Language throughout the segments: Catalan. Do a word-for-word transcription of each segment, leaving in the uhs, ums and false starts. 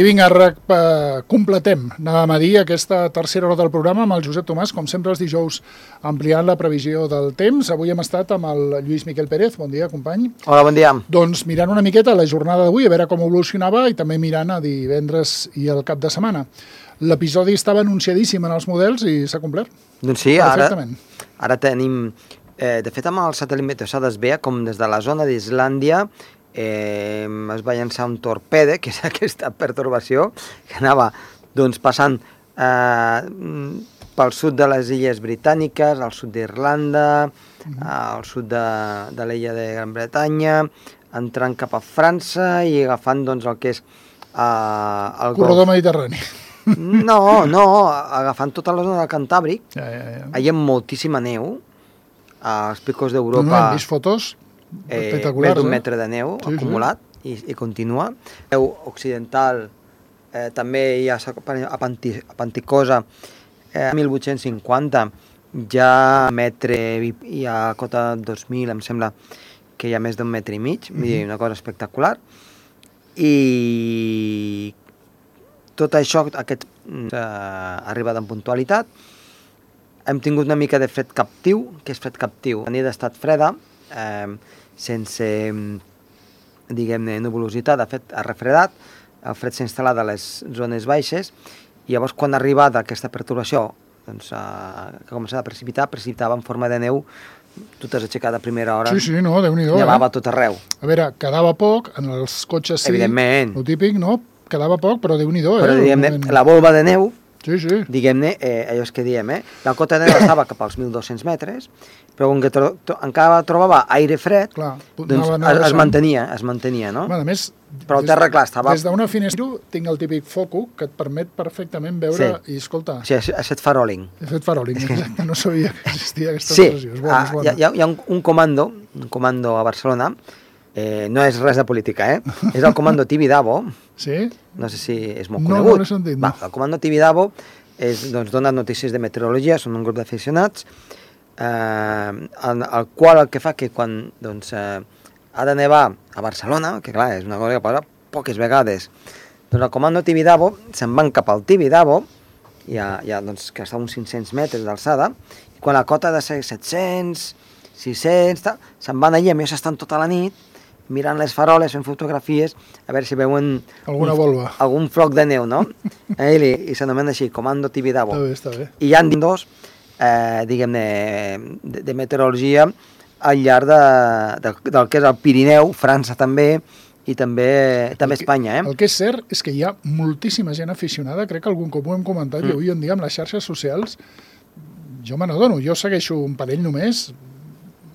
I vinga, completem, anàvem a dir, aquesta tercera hora del programa amb el Josep Tomàs, com sempre els dijous ampliant la previsió del temps. Avui hem estat amb el Lluís Miquel Pérez. Bon dia, company. Hola, bon dia. Doncs mirant una miqueta la jornada d'avui, a veure com evolucionava, i també mirant a divendres i el cap de setmana. L'episodi estava anunciadíssim en els models i s'ha complert. Doncs sí, ara, ara tenim... Eh, de fet, amb el satèl·lit Meteosat es veia com des de la zona d'Islàndia eh, es va llançar un torpede, que és aquesta pertorbació, que anava doncs, passant eh, pel sud de les Illes Britàniques, al sud d'Irlanda, mm-hmm. al sud de, de l'illa de Gran Bretanya, entrant cap a França i agafant doncs, el que és... Eh, el corredor Golf mediterrani. No, no, agafant tota la zona del Cantàbric. Ja, ja, ja. Hi ha moltíssima neu, als picos d'Europa. No, no, hem vist fotos espectaculars. Més d'un eh? metre de neu sí, acumulat sí. I, i continua. Neu occidental, eh, també hi ha a, Panti, a Panticosa, eh, mil vuit-cents cinquanta, ja metre, i a cota dos mil, em sembla que hi ha més d'un metre i mig, mm-hmm. una cosa espectacular. I tot això, aquest eh, arribat en puntualitat. Hem tingut una mica de fred captiu, que és fred captiu. La nit ha estat freda, eh, sense, diguem-ne, nuvolositat, de fet, ha refredat, el fred s'ha instal·lat a les zones baixes, i llavors, quan ha arribat aquesta perturbació, doncs, eh, que ha començat a precipitar, precipitava en forma de neu, tu t'has aixecat a primera hora, sí, sí, no, Déu-n'hi-do, nevava eh? tot arreu. A veure, quedava poc, en els cotxes sí, evidentment. Lo típic, no? Quedava poc, però Déu-n'hi-do, eh? Però, diguem-ne, la volva de neu, sí, sí. diguem-ne, eh, allò és que diem, eh? La cota de neu estava cap als mil dos-cents metres, però com que tro tro encara trobava aire fred, clar, doncs anava, anava es, es mantenia, es mantenia, no? Bueno, a més, però el terra, clar, estava... Des d'una finestra tinc el típic foco que et permet perfectament veure sí. I escoltar. Sí, ha fet faroling. Ha fet faroling, és que... exacte, no sabia que existia aquesta sí. expressió. És bona, ah, és bona. Hi ha, hi ha un, un comando, un comando a Barcelona, eh, no és res de política, eh? És el comando Tibidabo. Sí? No sé si és molt no, conegut. No, no l'he sentit, no. Va, el comando Tibidabo és, doncs, dona notícies de meteorologia, són un grup d'aficionats, eh, el, el qual el que fa que quan doncs, eh, ha de nevar a Barcelona, que clar, és una cosa que passa poques vegades, doncs el comando Tibidabo se'n van cap al Tibidabo, ja, ja, doncs, que està a uns cinc-cents metres d'alçada, i quan la cota ha de ser set-cents, sis-cents, se'n van allà, a més estan tota la nit, mirant les faroles, fent fotografies, a veure si veuen alguna un, volva. Algun floc de neu, no? eh, I i s'anomena així, Comando Tibidabo. Està bé, està bé. I hi ha dos, eh, diguem-ne, de, de meteorologia al llarg de, de, del que és el Pirineu, França també, i també, també que, Espanya. Eh? El que és cert és que hi ha moltíssima gent aficionada, crec que algun cop ho hem comentat, mm. i avui en dia amb les xarxes socials, jo me n'adono, jo segueixo un parell només,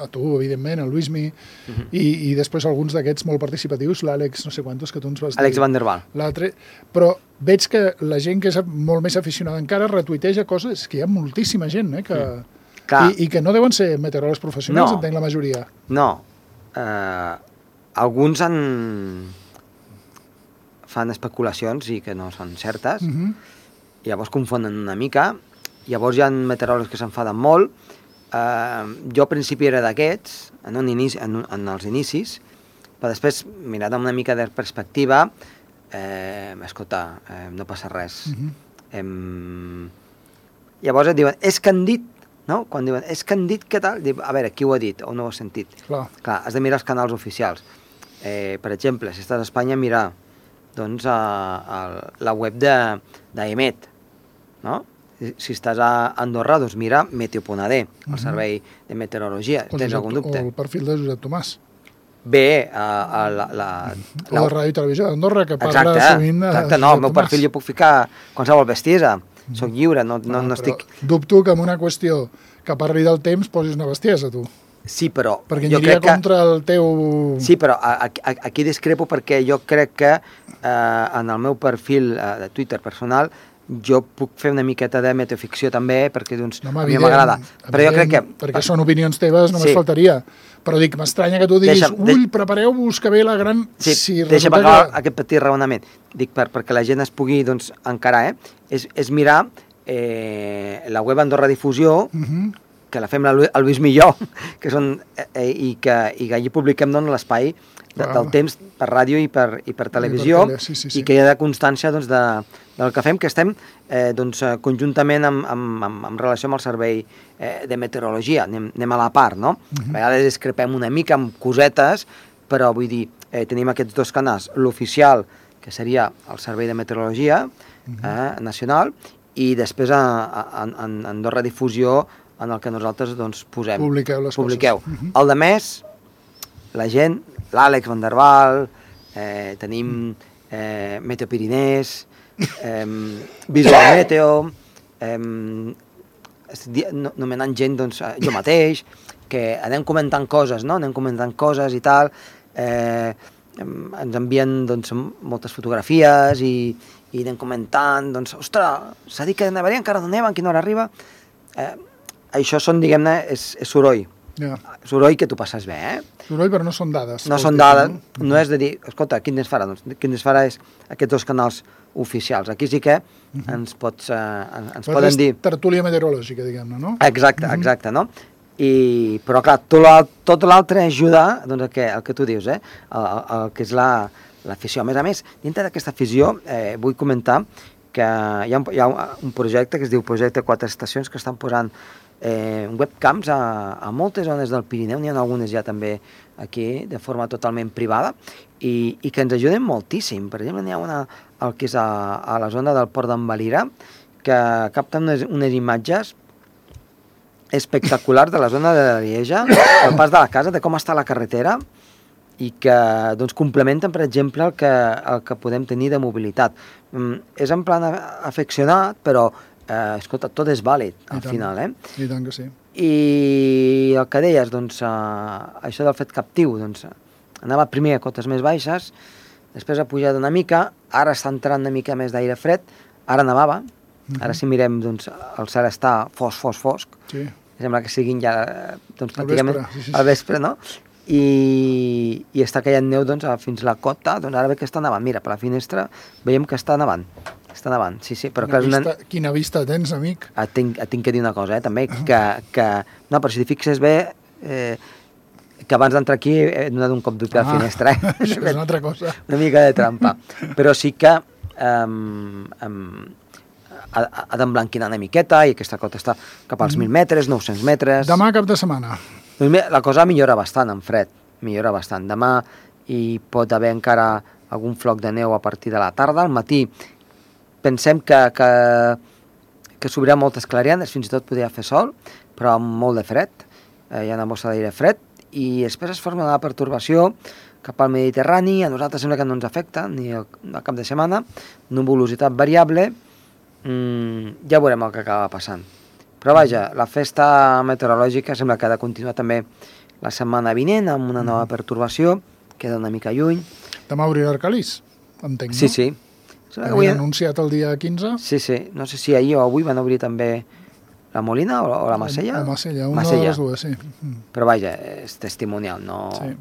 a tu, evidentment, el Luismi, uh-huh. i, i després alguns d'aquests molt participatius, l'Àlex, no sé quantos, que tu ens vas dir. Àlex Van der Waal. L'altre, però veig que la gent que és molt més aficionada encara retuiteja coses, que hi ha moltíssima gent, eh, que... Mm. I, i que no deuen ser meteoròlegs professionals, no. Entenc la majoria. No, eh, alguns han... fan especulacions i que no són certes, uh-huh. llavors confonen una mica, llavors hi ha meteoròlegs que s'enfaden molt. Uh, jo al principi era d'aquests, en, un inici, en, en els inicis, però després, mirat amb una mica de perspectiva, eh, escolta, eh, no passa res. Uh-huh. eh, llavors et diuen, és que han dit, no? Quan diuen, és que han dit què tal? Diu, a veure, qui ho ha dit o no ho has sentit? Clar. Clar, has de mirar els canals oficials. Eh, per exemple, si estàs a Espanya, mirar doncs, a, a la web d'Emet, no? Si estàs a Andorra, doncs mira Meteo punt a de, el uh-huh. servei de meteorologia. O Tens algun dubte? O el perfil de Josep Tomàs. Bé, a, a la, la... O la Ràdio i Televisió d'Andorra, que parla exacte, sovint de exacte, no, el meu perfil jo puc ficar qualsevol bestiesa. Uh-huh. Soc lliure, no, no, ah, no estic... Dubto que en una qüestió que parli del temps posis una bestiesa, tu. Sí, però... Perquè aniria contra que... el teu... Sí, però a, a, aquí discrepo perquè jo crec que eh, en el meu perfil eh, de Twitter personal jo puc fer una miqueta de meteoficció també, perquè doncs, no, a mi m'agrada. Però jo crec que... Perquè són opinions teves, només sí. faltaria. Però dic, m'estranya que tu diguis, deixa, ull, de... prepareu-vos que ve la gran... Sí, si deixa'm acabar que... aquest petit raonament. Dic, per, perquè la gent es pugui doncs, encarar, eh? és, és mirar eh, la web Andorra Difusió, uh-huh. que la fem el Lluís Millor, que són, eh, i, que, i que allí publiquem doncs, l'espai de, del temps per ràdio i per, i per televisió, i, per tele, sí, sí, sí. I que hi ha de constància doncs, de, del que fem, que estem eh, doncs, conjuntament amb, amb, amb, amb relació amb el servei eh, de meteorologia, anem, anem a la part, no? Uh-huh. A vegades discrepem una mica amb cosetes, però vull dir, eh, tenim aquests dos canals, l'oficial, que seria el Servei de Meteorologia uh-huh. eh, nacional, i després a, a, a, en, en dos redifusió en el que nosaltres doncs, posem. Publiqueu les Publiqueu. coses. Uh-huh. El de més, la gent, l'Àlex Van der Waal, eh, tenim eh, Meteo Pirinès, eh, Visual Meteo, eh, nomenant gent, doncs, jo mateix, que anem comentant coses, no? Anem comentant coses i tal, eh, ens envien doncs, moltes fotografies i, i anem comentant, doncs, ostres, s'ha dit que nevaria, encara no neva, en quina hora arriba. Eh, això són, diguem-ne, és, és soroll. Yeah. Soroll que tu passes bé, eh? Soroll, però no són dades. No són dades, no? No és de dir, escolta, quin ens farà? Doncs quin ens farà és aquests dos canals oficials. Aquí sí que uh-huh. ens pots, eh, ens però poden dir... tertúlia meteorològica, diguem-ne, no? Exacte, uh-huh. exacte, no? I, però clar, tot l'altre ajuda doncs, el, que, el que tu dius, eh? el, el, el que és l'afició. La, a més a més, dintre d'aquesta afició eh, vull comentar que hi ha, un, hi ha un projecte que es diu Projecte Quatre Estacions, que estan posant eh, webcams a, a moltes zones del Pirineu, n'hi ha algunes ja també aquí de forma totalment privada, i, i que ens ajuden moltíssim. Per exemple, n'hi ha una el que és a, a la zona del Port d'en Valira, que capten unes, unes imatges espectacular de la zona de Lieja, el pas de la casa, de com està la carretera, i que doncs, complementen, per exemple, el que, el que podem tenir de mobilitat. Mm, és en plan afeccionat, però, eh, escolta, tot és vàlid, al final, eh? I tant que sí. I el que deies, doncs, eh, això del fet captiu, doncs, anava primer a cotes més baixes, després ha pujat una mica, ara està entrant una mica més d'aire fred, ara nevava, uh-huh. Ara si mirem, doncs, el cel està fosc, fosc, fosc, sí. Sembla que siguin ja, doncs, pràcticament al vespre, sí, sí. Al vespre, no? I, i està caient neu doncs, fins a la cota, doncs ara ve que està nevant. Mira, per la finestra veiem que està nevant. Està nevant, sí, sí. Però quina, clar, vista, una... quina vista tens, amic? Et tinc, et tinc que dir una cosa, eh, també, que, que... No, però si t'hi fixes bé, eh, que abans d'entrar aquí he donat un cop d'ull a la ah, finestra. Eh? Això és una altra cosa. Una mica de trampa. Però sí que... Um, um, ha, ha d'emblanquinar una miqueta i aquesta cota està cap als mil metres, nou-cents metres... Demà cap de setmana. La cosa millora bastant en fred, millora bastant. Demà hi pot haver encara algun floc de neu a partir de la tarda. Al matí pensem que, que, que s'obrirà moltes clarianes, fins i tot podria fer sol, però amb molt de fred. Eh, hi ha una bossa d'aire fred i després es forma una pertorbació cap al Mediterrani. A nosaltres sembla que no ens afecta, ni el, el cap de setmana. Nuvolositat variable. Mm, ja veurem el que acaba passant. Però vaja, la festa meteorològica sembla que ha de continuar també la setmana vinent amb una nova pertorbació, queda una mica lluny. Demà obrirà Arcalís, entenc, no? Sí, sí. Havien avui... anunciat el dia quinze? Sí, sí. No sé si ahir o avui van obrir també la Molina o, o la Macella. La Macella, una Macella. De les dues, sí. Però vaja, és testimonial, no... Sí.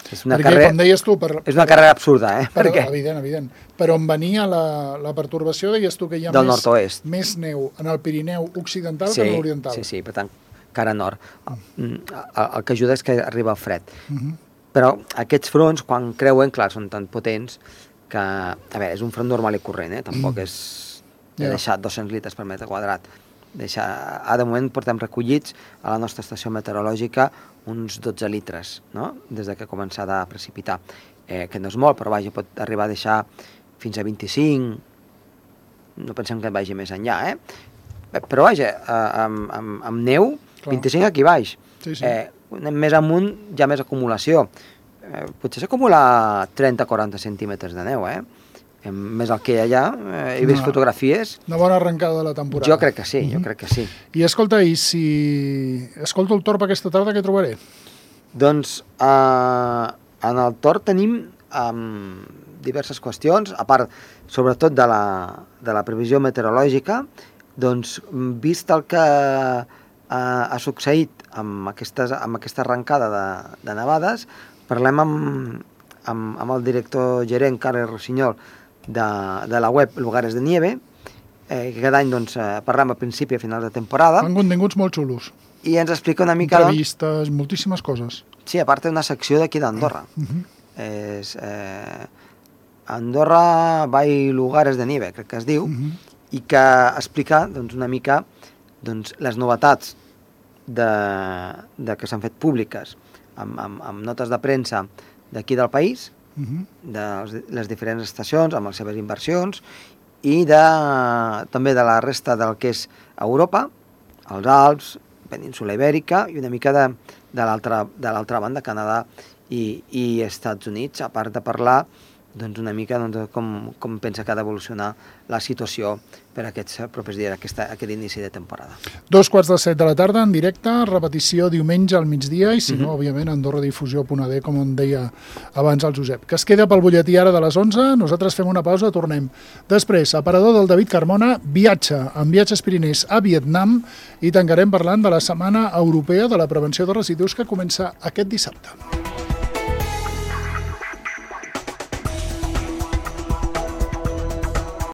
És una, perquè, carrera, com deies tu, per, és una per, carrera absurda, eh? Per, Perquè... Evident, evident. Però on venia la, la pertorbació, deies tu que hi ha del més, més neu en el Pirineu occidental sí, que en l'oriental. Sí, sí, per tant, cara nord. El, el que ajuda és que arriba el fred. Uh -huh. Però aquests fronts, quan creuen, clar, són tan potents que, a veure, és un front normal i corrent, eh? Tampoc mm. és de yeah. deixar dos-cents litres per metre quadrat. Deixar... Ah, de moment portem recollits a la nostra estació meteorològica uns dotze litres, no? Des de que ha començat a precipitar. Eh, que no és molt, però vaja, pot arribar a deixar fins a vint-i-cinc, no pensem que et vagi més enllà, eh? Però vaja, eh, amb, amb, amb neu, clar. vint-i-cinc aquí baix. Sí, sí. Eh, anem més amunt, ja més acumulació. Eh, potser s'acumula trenta a quaranta centímetres de neu, eh? Eh, més el que hi ha allà, eh, he vist no, fotografies... Una bona arrencada de la temporada. Jo crec que sí, uh-huh. jo crec que sí. I escolta, i si escolto el Torb aquesta tarda, què trobaré? Doncs eh, en el Torb tenim um, diverses qüestions, a part, sobretot de la, de la previsió meteorològica, doncs, vist el que uh, ha succeït amb, aquestes, amb aquesta arrencada de, de nevades, parlem amb, amb, amb el director gerent, Carles Rossinyol, de, de la web Lugares de Nieve, eh, que cada any doncs, parlem a principi i a finals de temporada. Fan continguts molt xulos. i ens explica una mica... Entrevistes, doncs, moltíssimes coses. Sí, a part té una secció d'aquí d'Andorra. Uh -huh. És eh, Andorra by Lugares de Nieve, crec que es diu, uh -huh. i que explica doncs, una mica doncs, les novetats de, de que s'han fet públiques amb, amb, amb notes de premsa d'aquí del país, uh -huh. de les diferents estacions, amb les seves inversions, i de, també de la resta del que és Europa, els Alps, península Ibèrica, i una mica de, de l'altra banda, Canadà i, i Estats Units, a part de parlar doncs, una mica doncs, com, com pensa que ha d'evolucionar la situació per aquests propers dies, aquesta, aquest inici de temporada. Dos quarts de set de la tarda, en directe, repetició diumenge al migdia, i si no, mm -hmm. òbviament, andorradifusió punt a d, com en deia abans el Josep. Que es queda pel butlletí ara de les onze, nosaltres fem una pausa, tornem. Després, aparador del David Carmona, viatge amb Viatges Pirinès a Vietnam, i tancarem parlant de la Setmana Europea de la Prevenció de Residus que comença aquest dissabte.